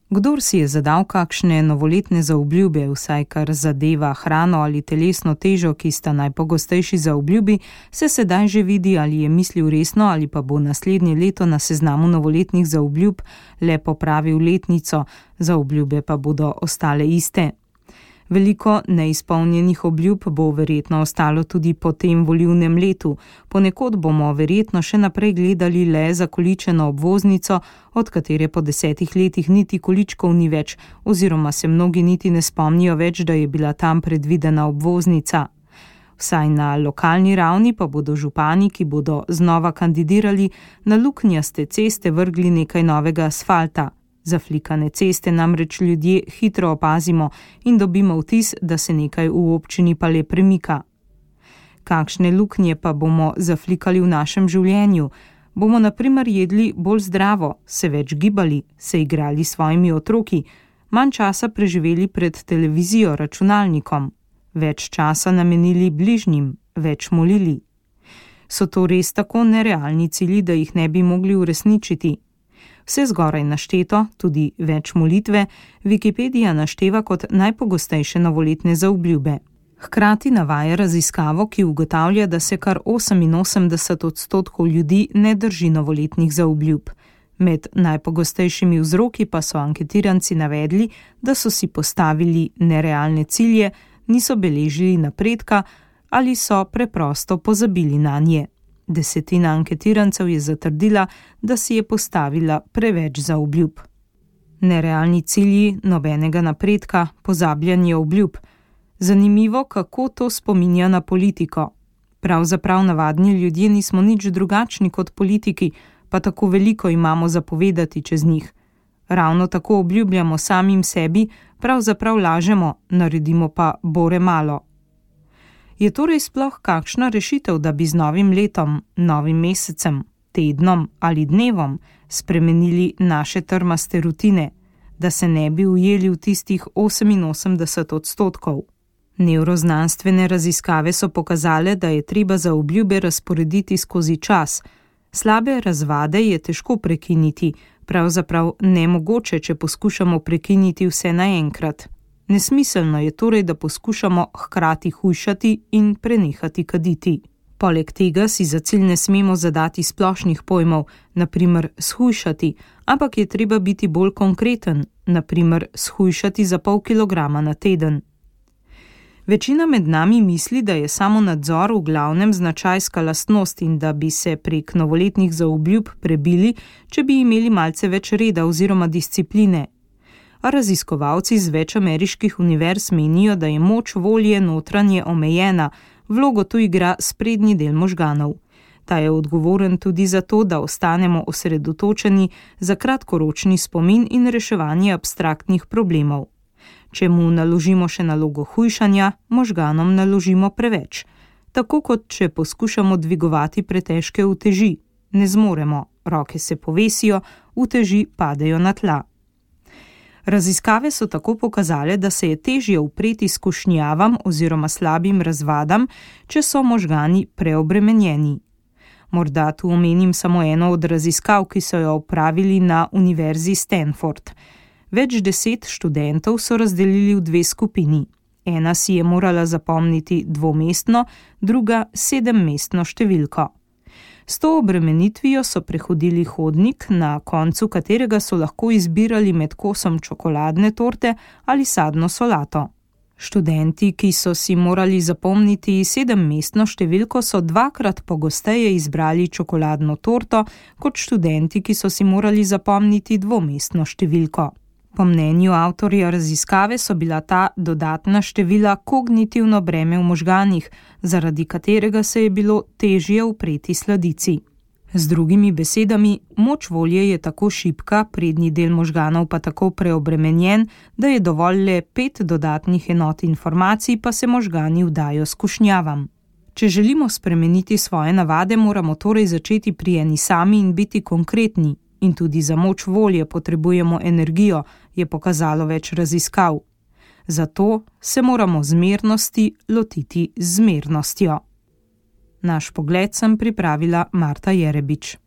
Kdor si je zadal kakšne novoletne zaobljube, vsaj kar zadeva hrano ali telesno težo, ki sta najpogostejši zaobljubi, se sedaj že vidi, ali je mislil resno ali pa bo naslednje leto na seznamu novoletnih zaobljub le popravil letnico, zaobljube pa bodo ostale iste. Veliko neizpolnjenih obljub bo verjetno ostalo tudi po tem volilnem letu. Ponekod bomo verjetno še naprej gledali le zakoličeno obvoznico, od katere po 10 letih niti količkov ni več, oziroma se mnogi niti ne spomnijo več, da je bila tam predvidena obvoznica. Vsaj na lokalni ravni pa bodo župani, ki bodo znova kandidirali, na luknjaste ceste vrgli nekaj novega asfalta. Zaflikane ceste namreč ljudje hitro opazimo in dobimo vtis, da se nekaj v občini pa le premika. Kakšne luknje pa bomo zaflikali v našem življenju? Bomo na primer jedli bolj zdravo, se več gibali, se igrali s svojimi otroki, manj časa preživeli pred televizijo, računalnikom, več časa namenili bližnjim, več molili? So to res tako nerealni cilji, da jih ne bi mogli uresničiti? Vse zgoraj našteto, tudi več molitve, Wikipedija našteva kot najpogostejše novoletne zaobljube. Hkrati navaja raziskavo, ki ugotavlja, da se kar 88% ljudi ne drži novoletnih zaobljub. Med najpogostejšimi vzroki pa so anketiranci navedli, da so si postavili nerealne cilje, niso beležili napredka ali so preprosto pozabili nanje. 10% anketirancev je zatrdila, da si je postavila preveč zaobljub. Nerealni cilji, nobenega napredka, pozabljanje obljub. Zanimivo, kako to spominja na politiko. Pravzaprav navadni ljudje nismo nič drugačni kot politiki, pa tako veliko imamo za povedati čez njih. Ravno tako obljubljamo samim sebi, pravzaprav lažemo, naredimo pa bore malo. Je torej sploh kakšna rešitev, da bi z novim letom, novim mesecem, tednom ali dnevom spremenili naše trmaste rutine, da se ne bi ujeli v tistih 88%? Nevroznanstvene raziskave so pokazale, da je treba zaobljube razporediti skozi čas. Slabe razvade je težko prekiniti, pravzaprav nemogoče, če poskušamo prekiniti vse naenkrat. Nesmiselno je torej, da poskušamo hkrati hujšati in prenehati kaditi. Poleg tega si za cilj ne smemo zadati splošnih pojmov, na primer shujšati, ampak je treba biti bolj konkreten, na primer shujšati za pol kilograma na teden. Večina med nami misli, da je samo nadzor v glavnem značajska lastnost in da bi se prek novoletnih zaobljub prebili, če bi imeli malce več reda oziroma discipline. A raziskovalci z več ameriških univerz menijo, da je moč volje notranje omejena, vlogo tu igra sprednji del možganov. Ta je odgovoren tudi za to, da ostanemo osredotočeni za kratkoročni spomin in reševanje abstraktnih problemov. Če mu naložimo še nalogo hujšanja, možganom naložimo preveč. Tako kot če poskušamo dvigovati pretežke uteži. Ne zmoremo, roke se povesijo, uteži padejo na tla. Raziskave so tako pokazale, da se je težje upreti skušnjavam oziroma slabim razvadam, če so možgani preobremenjeni. Morda tu omenim samo eno od raziskav, ki so jo opravili na Univerzi Stanford. Več 10 študentov so razdelili v 2 skupini. Ena si je morala zapomniti 2-mestno, druga 7-mestno številko. S to obremenitvijo so prehodili hodnik, na koncu katerega so lahko izbirali med kosom čokoladne torte ali sadno solato. Študenti, ki so si morali zapomniti 7-mestno številko, so 2-krat pogosteje izbrali čokoladno torto, kot študenti, ki so si morali zapomniti 2-mestno številko. Po mnenju avtorja raziskave so bila ta dodatna števila kognitivno breme v možganih, zaradi katerega se je bilo težje upreti sladici. Z drugimi besedami, moč volje je tako šibka, prednji del možganov pa tako preobremenjen, da je dovolj le 5 dodatnih enot informacij, pa se možgani vdajo skušnjavam. Če želimo spremeniti svoje navade, moramo torej začeti pri eni sami in biti konkretni. In tudi za moč volje potrebujemo energijo, je pokazalo več raziskav. Zato se moramo zmernosti lotiti z zmernostjo. Naš pogled sem pripravila Marta Jerebič.